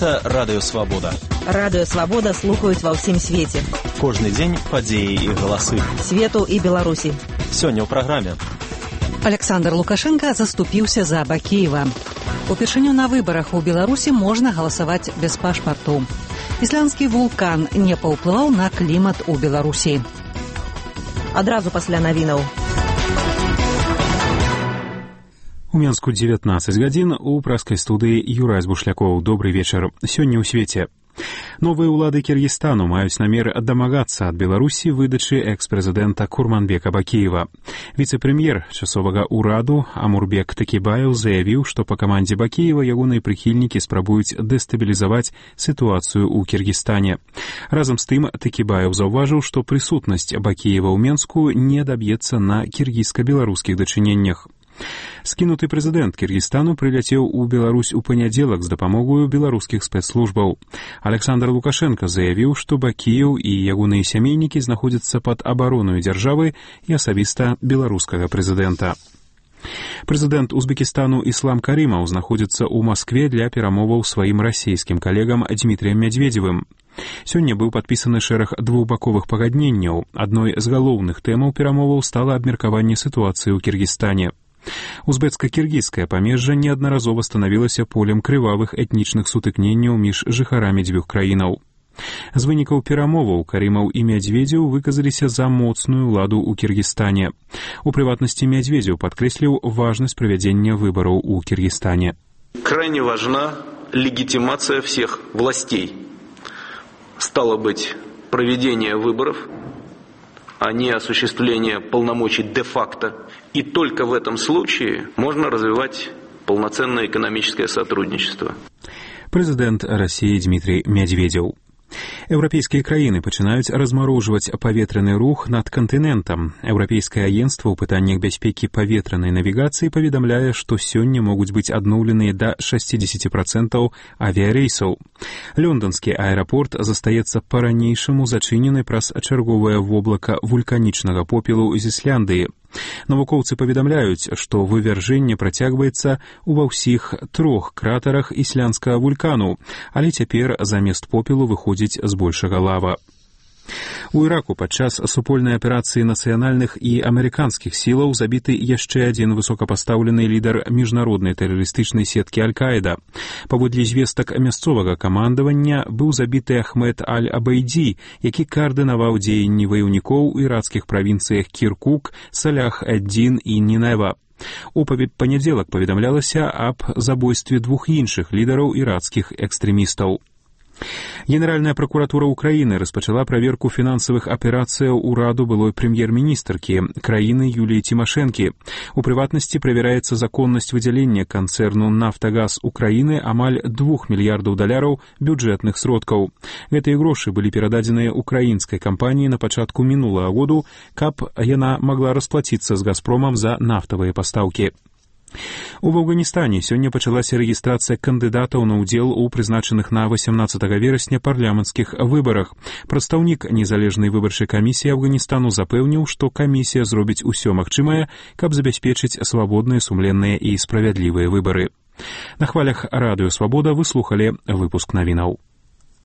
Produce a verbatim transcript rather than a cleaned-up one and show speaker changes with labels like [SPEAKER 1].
[SPEAKER 1] Гэта Радыё Свабода.
[SPEAKER 2] Радыё Свабода слухаюць ва ўсім свеце.
[SPEAKER 1] Кожны дзень падзеі і галасы.
[SPEAKER 2] Свету і Беларусі.
[SPEAKER 1] Сёння ў праграме.
[SPEAKER 3] Александр Лукашенко заступіўся за Бакеева. Упершыню на выбарах у Беларусі можна галасаваць без пашпарту. Ісландскі вулкан не паўплываў на клімат у Беларусі.
[SPEAKER 2] Адразу пасля навінаў.
[SPEAKER 4] У Менску дзевятнаццаць гадзін, у праскай студыі Юрай Бушлякоў. Добрый вечар. Сёння ў свеце. Новыя ўлады Кіргізстану маюць намер дамагацца ад Беларусі выдачы экс-прэзідэнта Курманбека Бакеева. Віцэ-прэм'ер часовага ўраду Амурбек Текибаев заявіў, што па камандзе Бакеева ягоныя прыхільнікі спрабуюць дэстабілізаваць сітуацыю ў Кіргізстане. Разам з тым Текибаев заўважыў, што прысутнасць Бакеева ў Менску не даб'ецца на кіргізска-беларускіх дачыненнях. Скінуты прэзідэнт Кіргізстану прыляцеў у Беларусь у панядзелак з дапамогою беларускіх спецслужбаў. Александр Лукашенко заявіў, што Бакеев і ягоныя сямейнікі знаходзяцца пад абаронаю дзяржавы і асабіста беларускага прэзідэнта. Прэзідэнт Узбекістану Іслам Карімаў знаходзіцца ў Маскве для перамоваў сваім расійскім калегам Дмітрыем Мядзведзевым. Сёння быў падпісаны шэраг двухбаковых пагадненняў. Адной з галоўных тэмаў перамоваў стала абмеркаванне сітуацыі ў Кіргізстане. Узбецка-кіргізскае памежжа неаднаразова станавілася полем крывавых этнічных сутыкненняў між жыхарамі дзвюх краінаў. З вынікаў перамоваў Карімаў і Мядзведзеў выказаліся за моцную ўладу ў Кіргізстане. У прыватнасці Мядзведзеў падкрэсліў важнасць правядзення выбараў у Кіргізстане.
[SPEAKER 5] Крайне важна легитимация всех властей. Стало быть, проведение выборов, а не осуществление полномочий де-факто. И только в этом случае можно развивать полноценное экономическое сотрудничество.
[SPEAKER 4] Прэзідэнт Расіі Дмітрый Мядзведзеў. Еўрапейскія краіны пачынаюць размарожваць паветраны рух над кантынентам. Еўрапейскае агенцтва ў пытаннях бяспекі паветранай навігацыі паведамляе, што сёння могуць быць адноўленыя да шэсцьдзесят працэнтаў авіярэйсаў. Лонданскі аэрапорт застаецца па-ранейшаму зачынены праз чарговае воблака вулканічнага попелу з Ісляндыі. Навукоўцы паведамляюць, што вывяржэнне працягваецца ува ўсіх трох кратарах ісландскага вулкану, але цяпер замест попелу выходзіць збольшага лава. У Іраку падчас супольнай аперацыі нацыянальных і амерыканскіх сілаў забіты яшчэ адзін высокапастаўлены лідар міжнароднай тэрарыстычнай сеткі Аль-Каіда. Паводле звестак мясцовага камандавання быў забіты Ахмед Аль-Абайдзі, які каардынаваў дзеянні ваяўнікоў у ірацкіх правінцыях Кіркук, Салях-ад-Дін і Нінева. У панядзелак паведамлялася аб забойстве двух іншых лідараў ірацкіх экстрэмістаў. Генеральная прокуратура Украины распачала праверку фінансавых аперацыяў ураду былой прэм'ер-міністркі краіны Юліі Тимошенко. У прыватнасці правяраецца законнасць выдзялення канцэрну «Нафтагаз Украины» амаль двух мільярдаў даляраў бюджэтных сродкаў. Гэтыя грошы былі перададзеныя украінскай кампаніі на пачатку мінулага году, каб яна магла расплаціцца з «Газпромам» за нафтавыя пастаўкі. У Афганістане сёння пачалася рэгістрацыя кандыдатаў на ўдзел у прызначаных на васямнаццатага верасня парламенцкіх выбарах. Прадстаўнік незалежнай выбарчай камісіі Афганістану запэўніў, што камісія зробіць усё магчымае, каб забяспечыць свабодныя, сумленныя і справядлівыя выбары. На хвалях Радыё Свабода вы слухалі выпуск навінаў.